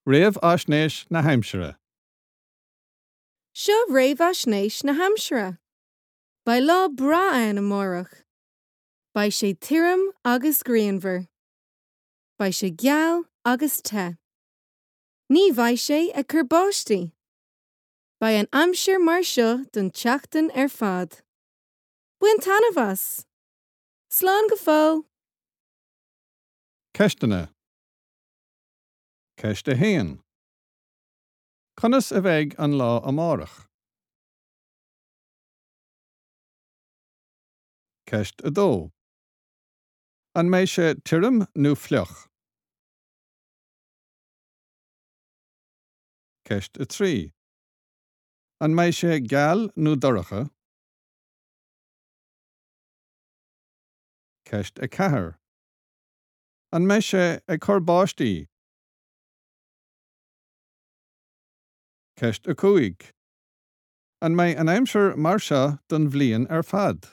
Réamhaisnéis na haimsire. Seo réamhaisnéis na haimsire. Beidh lá breá ann amárach. Beidh sé tirim agus grianmhar. Beidh sé geal agus te. Ní bheidh sé ag cur báistí. Beidh an aimsir mar seo don tseachtain ar fad. Bain taitneamh as! Slán go fóill! Ceisteanna. Ceist 1. Conas a bheidh an lá amárach? Ceist 2. An mbeidh sé tirim nó fliuch? Ceist 3. An mbeidh sé geal nó dorcha? Ceist 4. An mbeidh sé ag cur báistí? Ceist 5. An mbeidh an aimsir mar seo don bhliain ar fad?